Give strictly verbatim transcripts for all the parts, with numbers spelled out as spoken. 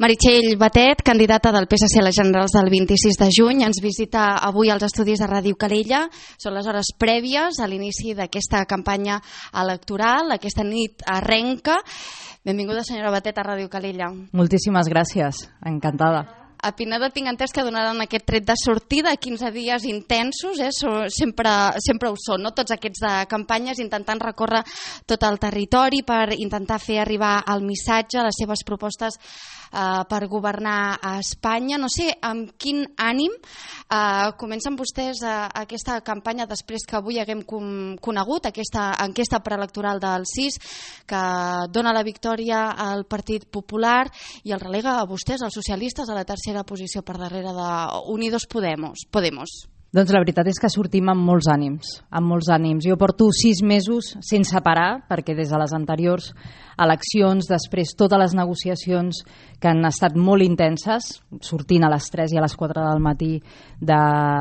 Meritxell Batet, candidata del P S C a les generals del vint-i-sis de juny, ens visita avui als estudis de Ràdio Calella. Són les hores prèvies a l'inici d'aquesta campanya electoral. Aquesta nit arrenca. Benvinguda, senyora Batet, a Ràdio Calella. Moltíssimes gràcies, encantada. A Pineda tinc entès que donaran aquest tret de sortida, quinze dies intensos, eh? sempre, sempre ho són, no? Tots aquests de campanyes, intentant recórrer tot el territori per intentar fer arribar el missatge, les seves propostes eh, per governar a Espanya. No sé amb quin ànim eh, comencen vostès eh, aquesta campanya després que avui haguem com, conegut aquesta enquesta preelectoral del sis que dona la victòria al Partit Popular i el relega a vostès, els socialistes, a la tercera posició per darrere de Unidos Podemos. Podemos. Doncs la veritat és que sortim amb molts ànims, amb molts ànims. Jo porto sis mesos sense parar, perquè des de les anteriors eleccions, després totes les negociacions que han estat molt intenses, sortint a les tres i a les quatre del matí de,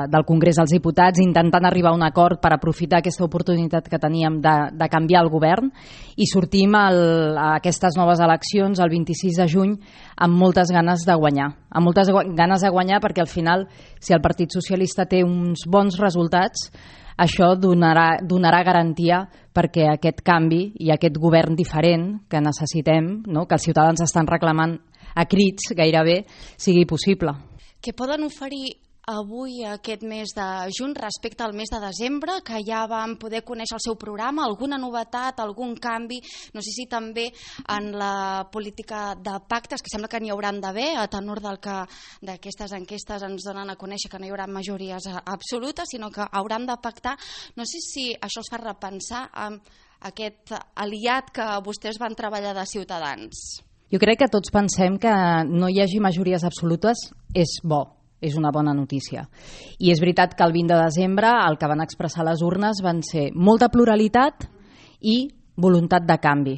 del Congrés dels Diputats, intentant arribar a un acord per aprofitar aquesta oportunitat que teníem de, de canviar el govern, i sortim el, a aquestes noves eleccions el vint-i-sis de juny amb moltes ganes de guanyar. Amb moltes ganes de guanyar perquè al final, si el Partit Socialista té uns bons resultats, això donarà, donarà garantia perquè aquest canvi i aquest govern diferent que necessitem, no? Que els ciutadans estan reclamant a crits gairebé, sigui possible. Què poden oferir avui, aquest mes de juny, respecte al mes de desembre, que ja vam poder conèixer el seu programa? Alguna novetat, algun canvi? No sé si també en la política de pactes, que sembla que n'hi hauran d'haver, a tenor del que d'aquestes enquestes ens donen a conèixer que no hi haurà majories absolutes, sinó que hauran de pactar. No sé si això es fa repensar amb aquest aliat que vostès van treballar de Ciutadans. Jo crec que tots pensem que no hi hagi majories absolutes és bo. És una bona notícia. I és veritat que el vint de desembre el que van expressar les urnes van ser molta pluralitat i voluntat de canvi,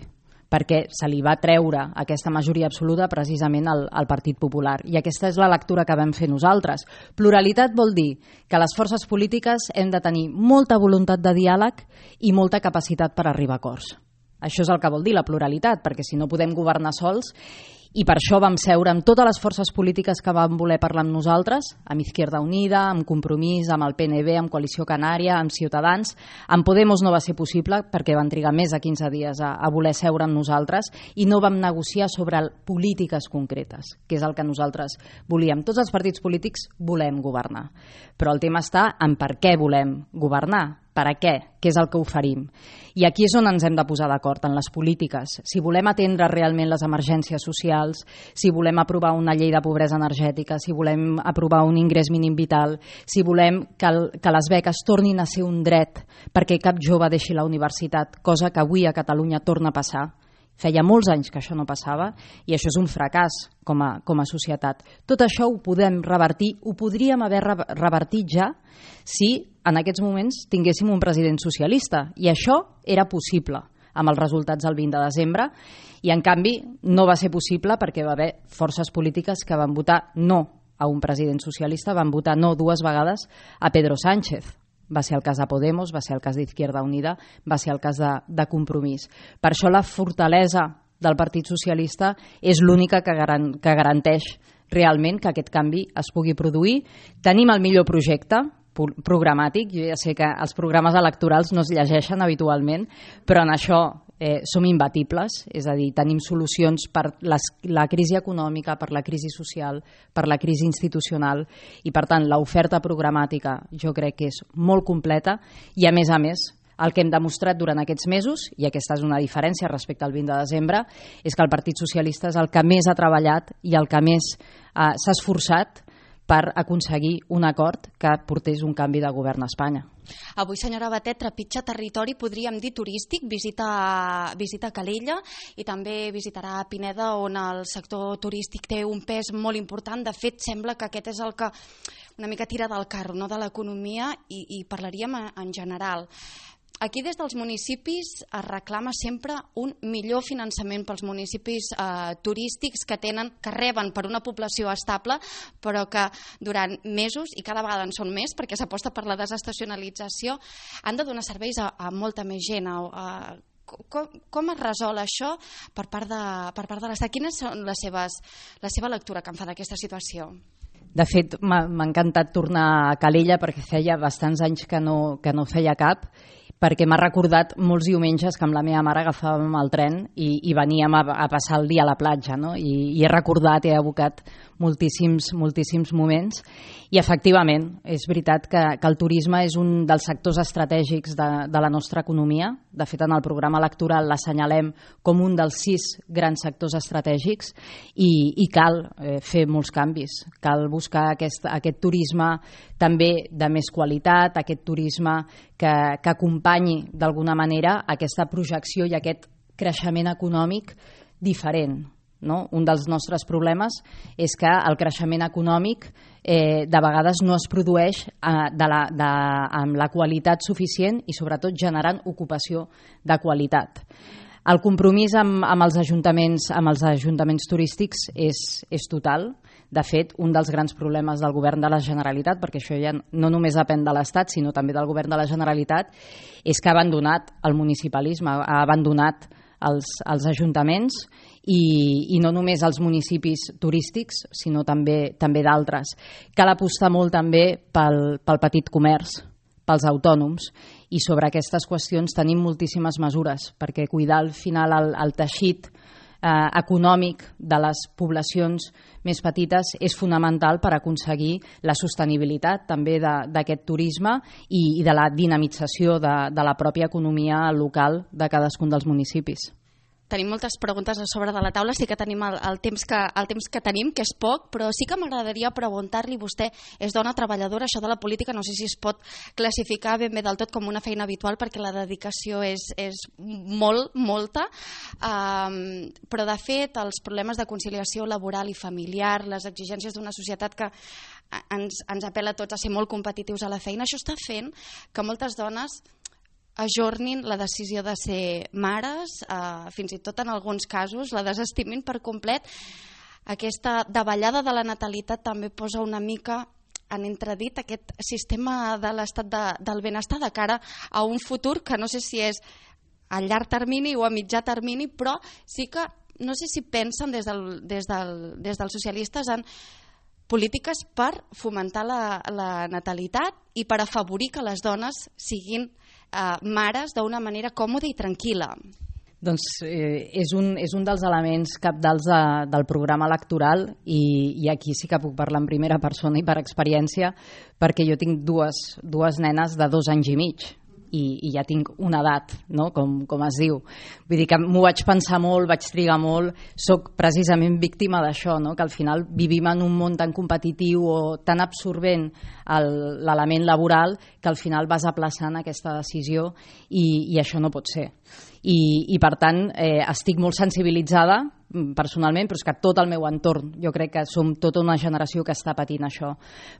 perquè se li va treure aquesta majoria absoluta precisament al, al Partit Popular. I aquesta és la lectura que vam fer nosaltres. Pluralitat vol dir que les forces polítiques hem de tenir molta voluntat de diàleg i molta capacitat per arribar a acords. Això és el que vol dir la pluralitat, perquè si no podem governar sols. I per això vam seure amb totes les forces polítiques que van voler parlar amb nosaltres, amb Izquierda Unida, amb Compromís, amb el P N V, amb Coalició Canària, amb Ciutadans. Amb Podemos no va ser possible perquè van trigar més de quinze dies a, a voler seure amb nosaltres i no vam negociar sobre polítiques concretes, que és el que nosaltres volíem. Tots els partits polítics volem governar, però el tema està en per què volem governar. Per a què? Què és el que oferim? I aquí és on ens hem de posar d'acord, en les polítiques. Si volem atendre realment les emergències socials, si volem aprovar una llei de pobresa energètica, si volem aprovar un ingrés mínim vital, si volem que, el, que les beques tornin a ser un dret perquè cap jove deixi la universitat, cosa que avui a Catalunya torna a passar. Feia molts anys que això no passava i això és un fracàs com a, com a societat. Tot això ho podem revertir, ho podríem haver revertit ja si en aquests moments tinguéssim un president socialista, i això era possible amb els resultats del vint de desembre, i en canvi no va ser possible perquè va haver forces polítiques que van votar no a un president socialista, van votar no dues vegades a Pedro Sánchez. Va ser el cas de Podemos, va ser el cas d'Izquierda Unida, va ser el cas de, de Compromís. Per això la fortalesa del Partit Socialista és l'única que, garan, que garanteix realment que aquest canvi es pugui produir. Tenim el millor projecte programàtic. Jo ja sé que els programes electorals no es llegeixen habitualment, però en això eh, som imbatibles, és a dir, tenim solucions per les, la crisi econòmica, per la crisi social, per la crisi institucional, i per tant l'oferta programàtica jo crec que és molt completa, i a més a més el que hem demostrat durant aquests mesos, i aquesta és una diferència respecte al vint de desembre, és que el Partit Socialista és el que més ha treballat i el que més eh, s'ha esforçat per aconseguir un acord que portés un canvi de govern a Espanya. Avui, senyora Batet, trepitja territori, podríem dir, turístic, visita, visita Calella i també visitarà Pineda, on el sector turístic té un pes molt important. De fet, sembla que aquest és el que una mica tira del carro, no?, de l'economia, i, i parlaríem en general. Aquí des dels municipis es reclama sempre un millor finançament pels municipis eh, turístics que tenen, que reben per una població estable, però que durant mesos, i cada vegada en són més perquè s'aposta per la desestacionalització, han de donar serveis a, a molta més gent, a, a Com, com es resol això per part de, per part de l'Estat? Quines són les seves, la seva lectura que en fa d'aquesta situació? De fet, m'ha encantat tornar a Calella perquè feia bastants anys que no, que no feia cap, perquè m'ha recordat molts diumenges que amb la meva mare agafàvem el tren i, i veníem a, a passar el dia a la platja, no? I, i he recordat, he evocat moltíssims, moltíssims moments i efectivament és veritat que, que el turisme és un dels sectors estratègics de, de la nostra economia. De fet, en el programa electoral l'assenyalem com un dels sis grans sectors estratègics i, i cal eh, fer molts canvis. Cal buscar aquest, aquest turisme també de més qualitat, aquest turisme que, que acompanyi d'alguna manera aquesta projecció i aquest creixement econòmic diferent. No? Un dels nostres problemes és que el creixement econòmic eh, de vegades no es produeix eh, de la, de, amb la qualitat suficient i sobretot generant ocupació de qualitat. El compromís amb, amb, els, ajuntaments, amb els ajuntaments turístics és, és total. De fet, un dels grans problemes del govern de la Generalitat, perquè això ja no només depèn de l'Estat, sinó també del govern de la Generalitat, és que ha abandonat el municipalisme, ha abandonat els, els ajuntaments i, i no només els municipis turístics, sinó també, també d'altres. Cal apostar molt també pel, pel petit comerç, pels autònoms, i sobre aquestes qüestions tenim moltíssimes mesures, perquè cuidar al final el, el teixit eh, econòmic de les poblacions més petites és fonamental per aconseguir la sostenibilitat també d'aquest turisme i, i de la dinamització de, de la pròpia economia local de cadascun dels municipis. Tenim moltes preguntes a sobre de la taula, sí que tenim el, el, temps, que, el temps que tenim, que és poc, però sí que m'agradaria preguntar-li, vostè és dona treballadora, això de la política no sé si es pot classificar ben bé del tot com una feina habitual perquè la dedicació és, és molt, molta, um, però de fet els problemes de conciliació laboral i familiar, les exigències d'una societat que ens, ens apel·la a tots a ser molt competitius a la feina, això està fent que moltes dones ajornin la decisió de ser mares, eh, fins i tot en alguns casos la desestimin per complet. Aquesta davallada de la natalitat també posa una mica en entredit aquest sistema de l'estat de, del benestar de cara a un futur que no sé si és a llarg termini o a mitjà termini, però sí que no sé si pensen des, del, des, del, des dels socialistes en polítiques per fomentar la, la natalitat i per afavorir que les dones siguin Uh, mares d'una manera còmoda i tranquil·la. Doncs eh, és, un, és un dels elements cabdals de, del programa electoral i, i aquí sí que puc parlar en primera persona i per experiència perquè jo tinc dues, dues nenes de dos anys i mig i, i ja tinc una edat, no? com, com es diu. Vull dir que m'ho vaig pensar molt, vaig trigar molt, soc precisament víctima d'això, no? Que al final vivim en un món tan competitiu o tan absorbent l'element laboral que al final vas aplaçant aquesta decisió i, i això no pot ser. I, i per tant eh, estic molt sensibilitzada personalment, però és que tot el meu entorn, jo crec que som tota una generació que està patint això.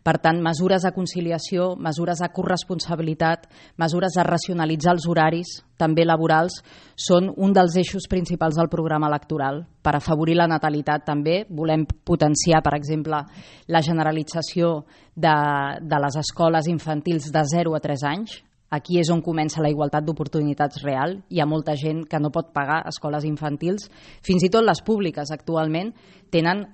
Per tant, mesures de conciliació, mesures de corresponsabilitat, mesures de racionalitzar els horaris, també laborals, són un dels eixos principals del programa electoral. Per afavorir la natalitat també volem potenciar, per exemple, la generalització de, de les escoles infantils de zero a tres anys. Aquí és on comença la igualtat d'oportunitats real. Hi ha molta gent que no pot pagar escoles infantils. Fins i tot les públiques actualment tenen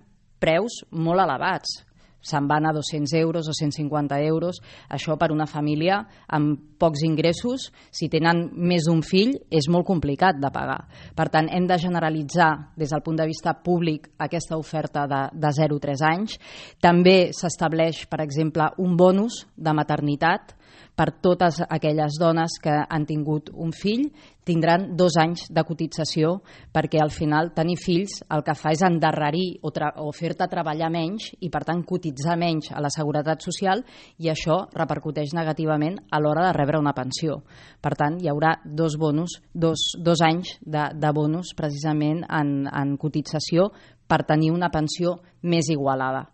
preus molt elevats. Se'n van a dos-cents euros o cent cinquanta euros. Això per una família amb pocs ingressos, si tenen més d'un fill, és molt complicat de pagar. Per tant, hem de generalitzar des del punt de vista públic aquesta oferta de, de zero a tres anys. També s'estableix, per exemple, un bonus de maternitat per totes aquelles dones que han tingut un fill, tindran dos anys de cotització perquè al final tenir fills el que fa és endarrerir o, o fer-te treballar menys i per tant cotitzar menys a la Seguretat Social i això repercuteix negativament a l'hora de rebre una pensió. Per tant, hi haurà dos bonus, dos, dos anys de, de bonus precisament en, en cotització per tenir una pensió més igualada.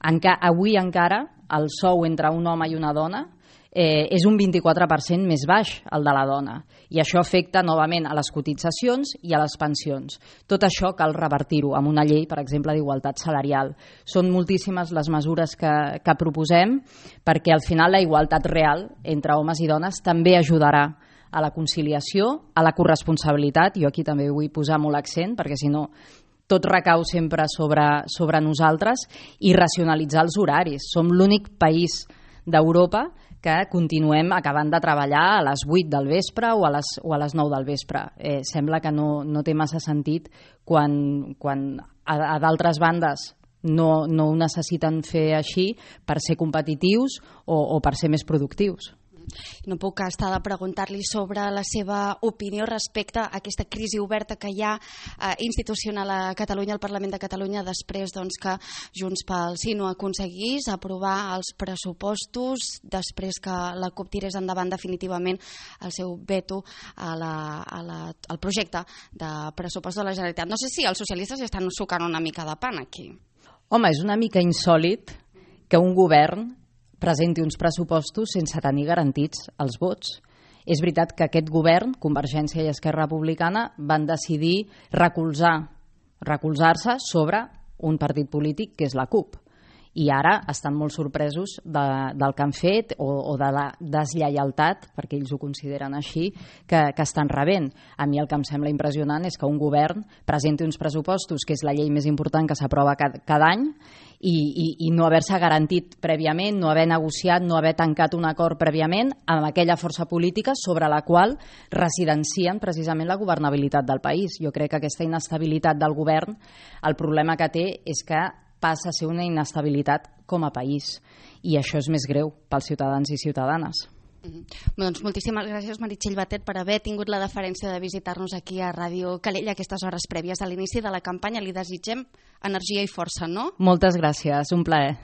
Enca, avui encara el sou entre un home i una dona Eh, és un vint-i-quatre per cent més baix el de la dona i això afecta novament a les cotitzacions i a les pensions. Tot això cal revertir-ho amb una llei, per exemple, d'igualtat salarial. Són moltíssimes les mesures que, que proposem perquè al final la igualtat real entre homes i dones també ajudarà a la conciliació, a la corresponsabilitat. Jo aquí també vull posar molt accent, perquè si no tot recau sempre sobre, sobre nosaltres, i racionalitzar els horaris. Som l'únic país d'Europa que continuem acabant de treballar a les vuit del vespre o a les, o a les nou del vespre. Eh, sembla que no, no té massa sentit quan, quan a, a d'altres bandes no, no ho necessiten fer així per ser competitius o, o per ser més productius. No puc estar de preguntar-li sobre la seva opinió respecte a aquesta crisi oberta que hi ha eh, institucional a Catalunya, al Parlament de Catalunya, després doncs, que Junts pel Sí no aconseguís aprovar els pressupostos, després que la CUP tirés endavant definitivament el seu veto a la, a la, al projecte de pressupost de la Generalitat. No sé si els socialistes ja estan sucant una mica de pan aquí. Home, és una mica insòlit que un govern presenti uns pressupostos sense tenir garantits els vots. És veritat que aquest govern, Convergència i Esquerra Republicana, van decidir recolzar, recolzar-se sobre un partit polític que és la CUP. I ara estan molt sorpresos de, del que han fet o, o de la deslleialtat, perquè ells ho consideren així, que, que estan rebent. A mi el que em sembla impressionant és que un govern presenti uns pressupostos, que és la llei més important que s'aprova cada, cada any, i, i, i no haver-se garantit prèviament, no haver negociat, no haver tancat un acord prèviament amb aquella força política sobre la qual residencien precisament la governabilitat del país. Jo crec que aquesta inestabilitat del govern, el problema que té és que passa a ser una inestabilitat com a país, i això és més greu pels ciutadans i ciutadanes. Mm-hmm. Doncs moltíssimes gràcies, Meritxell Batet, per haver tingut la deferència de visitar-nos aquí a Ràdio Calella a aquestes hores prèvies a l'inici de la campanya. Li desitgem energia i força, no? Moltes gràcies, un plaer.